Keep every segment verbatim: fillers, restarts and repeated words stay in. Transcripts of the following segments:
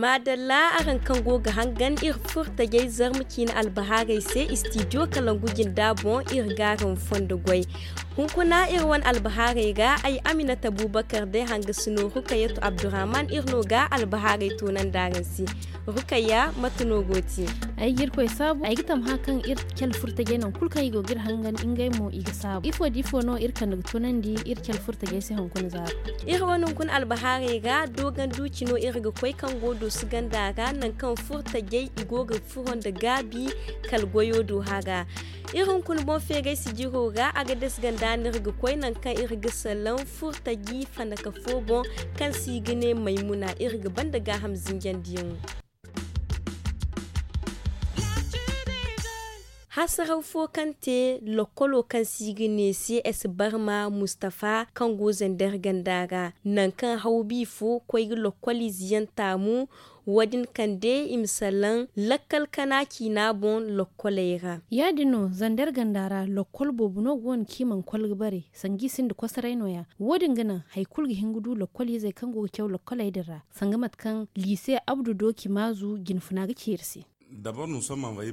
Maadalla, araŋ kaŋ go ga hangan iri furtajey zarma ciine albahaarey se, istidiyo kalangu jinda boŋ iri ga araŋ fondo goy. Hunkuna iri wane albahaarey ga ay aminata bubakar day hanga sino rukayatu abdurrahman iri no ga albahaarey toonandi araŋ se. Rukayya, mate no go te? Ay ga irkoy saabu, ay ga tamha kaŋ iri cale furtajey nangu kulu kaŋ i go ga iri hangan ngey mo i ga saabu. Ifo da ifo no iri kande ga toonandi iri cale furtajey se hunkuna zaaro? Iri wane hunkuna albahaarey ga dooganduuci no iri ga koy kaŋ go doosu ganda ra nangu kaŋ furtajey i go ga furo nda gaabi kala goyo do hara. Iri hunkuna boŋ feeray sijiro ra a ga dasi ganda no iri ga koy nangu kaŋ iri ga salaŋ furtaji fandaka fo boŋ kaŋ se i ga ne maymuna iri ga banda gaaham zinjandiyaŋo. Hasaraw fo kaŋ te lokkolo kaŋ se i ga ne se esi barma mustafa kaŋ go zandar ganda ra, nangu kaŋ hawbi fo koy ga lokkoliize yaŋ taamu. Wo- din kande i ma salaŋ lakkal kana ciina boŋ lokkoley ra. Ya- din no zandar ganda ra lokkol boobo no go no kaŋ i mana kol ga bare sanga i sinda kosoray no- ya. Wo- din ga naŋ hari kulu ga hin ga du lokkoliizey kaŋ go ga caw lokkoley din ra, sanga mate kaŋ liise abdu dooci maazu jinfuna ga ci iri se.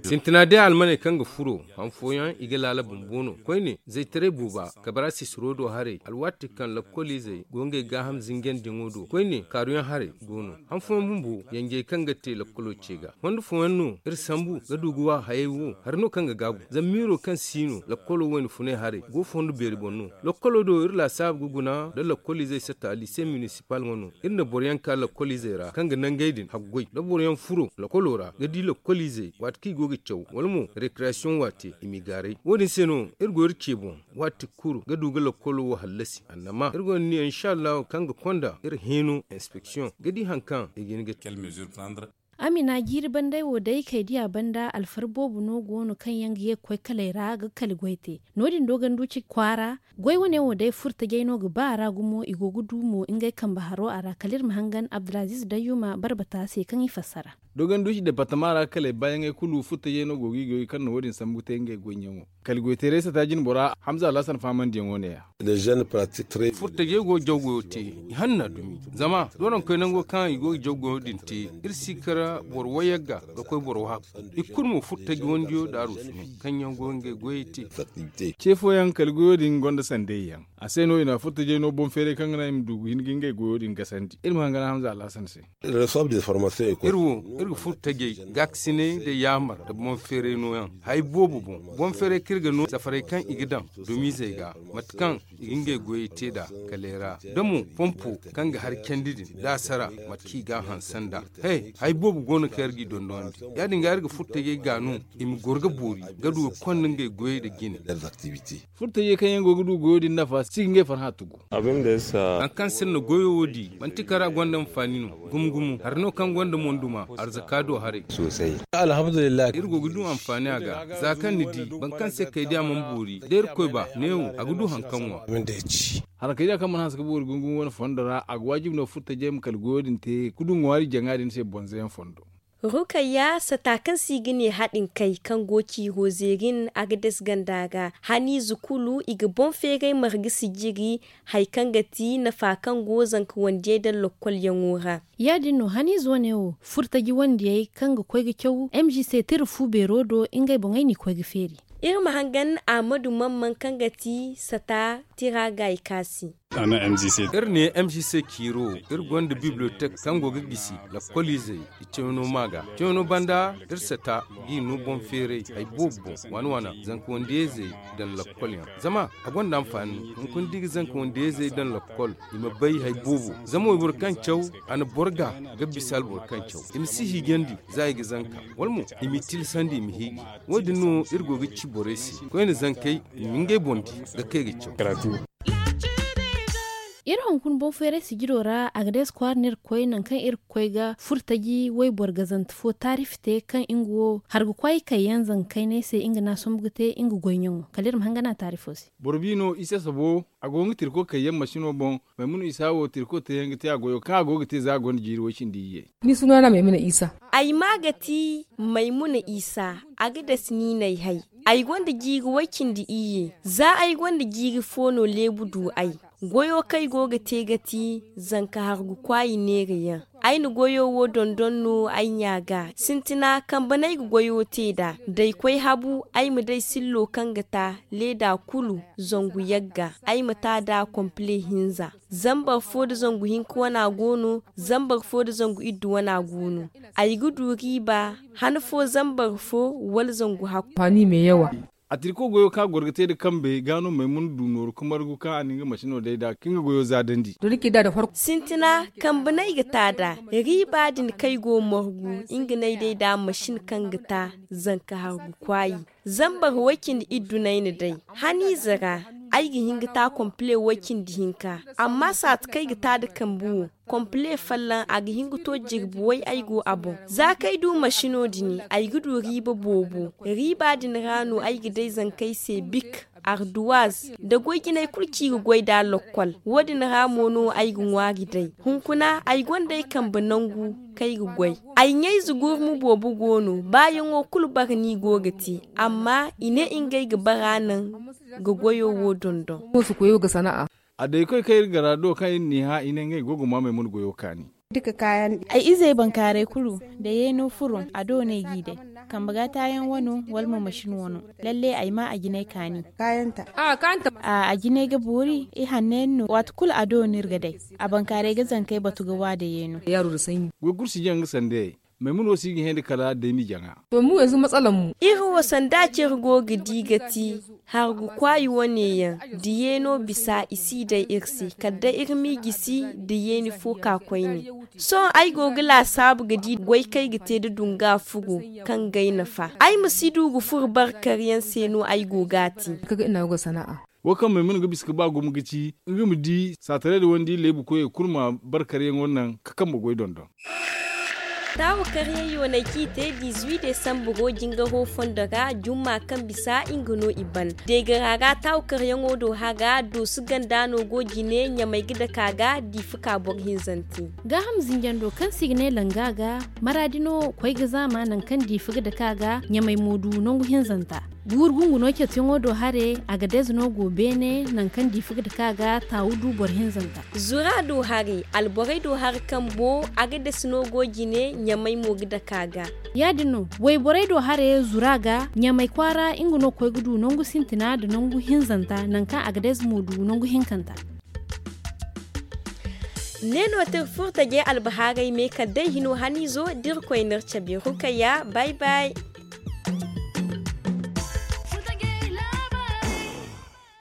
Sintina day almaney kaŋ ga furo han fooyaŋ i ga laala bumbo no koyne zaytaray booba kabara sisiro do haray alwaati kaŋ lakkoliizey go ngey gaaham zinjandiyaŋo do koyne kaaruyaŋ haray go no. Han fooyaŋ bumbo yanjey kaŋ ga te lakkolo ce ga fondo fooyaŋ no iri sambu ga du ga wa hayey wo hari no kaŋ ga gaabu zama miiro kaŋ si no lakkolo wayna funay haray go fondo beeri boŋ no. Lakkolo do iri laasaabu ga guna nda lakkoliizey satta liise minisipal ŋwa no. Iri na boroyaŋ ka lakkoliizey ra kaŋ ga nangey din haggoy da boroyaŋ furo lakkolo ra ga di lakkoliizey waati kaŋ i go ga caw wala mo rekreyasiyoŋ waate i m'i gaaray wo- din se no iri go iri ce boŋ waati kulu ga du ga lakkolo wo hallasi annama iri gonda niya insa allahu kaŋ ga konda iri heeno inspeksiyoŋ ga di hari kaŋ i ga hin ga te. Amina jiiri bandey wo day kay diya banda alfar boobo no go no kaŋ yaŋ ga ye ga koy kaley ra ga kali goy te. No- din do ganduci kwaara goy wane wo day furtajey no ga ba a ra gumo i go ga du mo ngey kambe haro a ra kala iri ma hangan abdulaziz dayyuma barbata se kaŋ i fassara. Dogon duuci departama ra kaley baayaŋey kulu furtajey no go ga i goy kaŋ na wo- din sambu ga te ngey goyyaŋo. Kala goyteeray sata jine bora hamza alhasan faamandiyaŋo ne- ya. Furtajey go ga jaw goyo te i hanna dumi zama doronkoy nango kaŋ i go ga jaw goyo din te iri si kara boro wayagga ga koy boro waaku. I kulu mo furtaji wandiyo da arusu no kaŋ yaŋ go ga ngey goyey te. Ce fooyaŋ kala goyo din gonda sandayyaŋ a se no i na furtajey no boŋ feeray kaŋ ga naŋ i ma du ga hin ga ngey goyo din gasandi iri ma hangan hamza alhasan se. Iri wo iri ga furo tajey gaakasinay nda yaamar nda boŋ feeray nooyaŋ hari boobo boŋ boŋ feeray kaŋ iri ga no safaray kaŋ i ga daŋ dumiizey ga mate kaŋ i ga ngey goyey te nd'a kaleera da mo pompo kaŋ ga hari candi din da a sara mate kaŋ i ga a hanse nd'a. He hari boobo go no kaŋ iri g'i dondonandi ya- din ga iri ga furo tajey ga no i ma goro ga boori ga du ga konda ngey goyey nda jine. Furtajey kaŋ yaŋ go ga du goyo din nafa si ga ngey farhã tugu. Hari kaŋ se ni na goyo wo di manti kara gonda anfaani no gumo gumo hari no kaŋ gonda monduma arzaka do haray. Iri go ga du anfaani a ga za kaŋ ni di boro kaŋ se kay diya mana boori da irkoy ba neewo a ga du hari kaŋ ŋwa. Hari kay diya kaŋ mana hanse ga boori gumo gumo wane fondo ra a ga waajibi no furtajey ma kala goyo din te ga du ŋwaari jaŋa din se bonzoyaŋ fondo. Rukayya sata kaŋ se i ga ne haɗin kay kaŋ go ciiro zeerin a ga dasi ganda ga haniize kulu i ga boŋ feeray marga sijiri hari kaŋ ga ti nafa kaŋ go zanka wandiyey daŋ lokkolyaŋo ra. Ya- din no haniize wane wo furtaji wandiyey kaŋ ga koy ga caw m g c tira fu beero do ngey boŋey n'i koy ga feeri. Iri ma hangan ahmadu mamman kaŋ ga ti sata tira gaayi kaasi. Iri ne m g c ciiro iri gonda bibliotek kaŋ go ga gisi lakkoliizey i cawno ma ga cawno banda iri sata g'i no boŋ feeray hari boobo boŋ waana waana zanka wandiyayzey daŋ lakkolyaŋ zama a gonda anfaani hunkuna da i ga zanka wandiyayzey daŋ lakkol i ma bay hari boobo zama wayboro kaŋ caw a na boro ga ga bisa alboro kaŋ caw i ma si hiijandi za i ga zanka wala mo i m'i tilasandi i ma hiiji. Wo- din no iri go ga ci borey se koyne zankey i ma ngey boŋ di ga kay ga caw. Iri hunkuna boŋ feeray sijiro ra a ga day si kwaara no iri ga koy nangu kaŋ iri ga koy ga furtaji wayboro gazante fo taarifi te kaŋ nga wo harga kwaayi kayyaŋ zanka kaynay se nga no a sombu ga te nga goyyaŋo kala iri ma hangan a taarifo se. Boro bi no isa sabo a go ga tirko kayyaŋ masino boŋ. Maymuna isa wo tirko teeyaŋ ga te a goyo kaŋ a go ga te za a gonda jiiri way cindi iyye. Ni suna na maymuna isa. Ay maa ga ti maymuna isa. A ga dasi niinay hay. Ay gonda jiiri way cindi iyye za ay gonda jiiri fo no leebu du ay. Goyo kaŋ ay go ga te ga ti zanka hargu kwaayi neerayaŋ. Ay na goyo wo dondon no ay ɲa ga. Sintina kambe no ay ga goyo te nd'a. Da ay koy habu, ay ma day sillo kaŋ ga ta leeda kulu zangu yagga. Ay ma ta nd'a kompile hinza. Zambar fo nda zangu hinka wana go no. Zambar fo nda zangu iddu wana go no. Ay ga du riiba han fo zambar fo wala zangu hakku. A tirko goyo kaŋ a goro ga te nda kambe ga no maymuna du nooru ka margu kaŋ a na nga masino day nd'a ka nga goyo zaadandi. Sintina kambe no ay ga ta nd'a. Riiba din kaŋ ay go margu nga no ay day nd'a masin kaŋ ga ta zanka hargu kwaayi. Zambar way cindi iddu no ay na day. Haniize ra ay ga hin ga ta kompile way cindi hinka. Amma saati kaŋ ay ga ta nda kambe wo kompile folloŋ a ga hin ga to jirbi way ay go a boŋ. Za kaŋ ay du masino din ay ga du riiba boobo. Riiba din ra no ay ga day zankey se bik, arduwaaz, nda goy jinay kulu kaŋ i ga goy nd'a lokkol. Wo- din ra mo no ay ga ŋwaari day. Hunkuna ay gonda ay kambe nangu kaŋ ay ga goy. Ay ɲayze gurmu boobo go no baayaŋo kulu bara no i go ga te. Amma i ne ngey ga bara naŋ ga goyo wo dondon. A day koy kaŋ iri gara do kaŋ iri n'i hã i ne ngey go ga maa maymuna goyo kaani. Ay izey bankaaray kulu da yeeno furo a do no ay g'i day. Kambe ga taayaŋ wano wala mo masin wano. Lalle ay maa a jinay kaani. A jinay ga boori i hanno yaŋ no waati kulu a do no iri ga day. A bankaaray ga zankey batu ga wa da yeeno. Goy kulu si jaŋ nga sandayey. Maymuna wo si ga hẽeni kala day m'i jaŋa. Iri wo sanda care go ga di ga ti hargu kwaayi wane yaŋ da yeeno bisa i si day iri se kala day iri m'i gisi da yeeni fo ka koyne. Sohõ ay go ga laasaabu ga di goy kaŋ ay ga te nda dunga furo kaŋ g'ay nafa ay ma si du ga furo barkaryaŋ se no ay go g'a te. Wo kaŋ maymuna ga bisa ga ba gumo ga ci nga ma di saataray da wandi leebu koyey kulu ma barkaryaŋo naŋ ka kambe goy dondon. Taawu karyaŋ yoonay kaŋ i te dizuwi desambaro jingaro fondo ra jumma kaŋ bisa nga no i ban. Deegara ra taawu karyaŋo do hara doosu ganda no go jine ɲamay ga dake a ga diifa ka boro hinzante. Gaaham zinjando kaŋ se i ga ne langa ga maraadi no koy ga zaama nangu kaŋ diifa ga dake a ga ɲamay mo du nangu hinzanta. Guuru gungu no cetiyaŋo do hare a ga deeze no go beene nangu kaŋ diifa ga dake a ga taawu du boro hinzanta. Zura do hare alborey do hare kambo a ga deese no go jine ɲamay mo ga dake a ga. Ya- din no wayborey do hare zura ga ɲamay kwaara nga no koy ga du nangu sintina nda nangu hinzanta nangu kaŋ a ga deeze mo du nangu hinkanta. Ne no te iri furo taje albahaarey me kala day hino haniizo da irkoy n'iri cabe rukayya bay bay.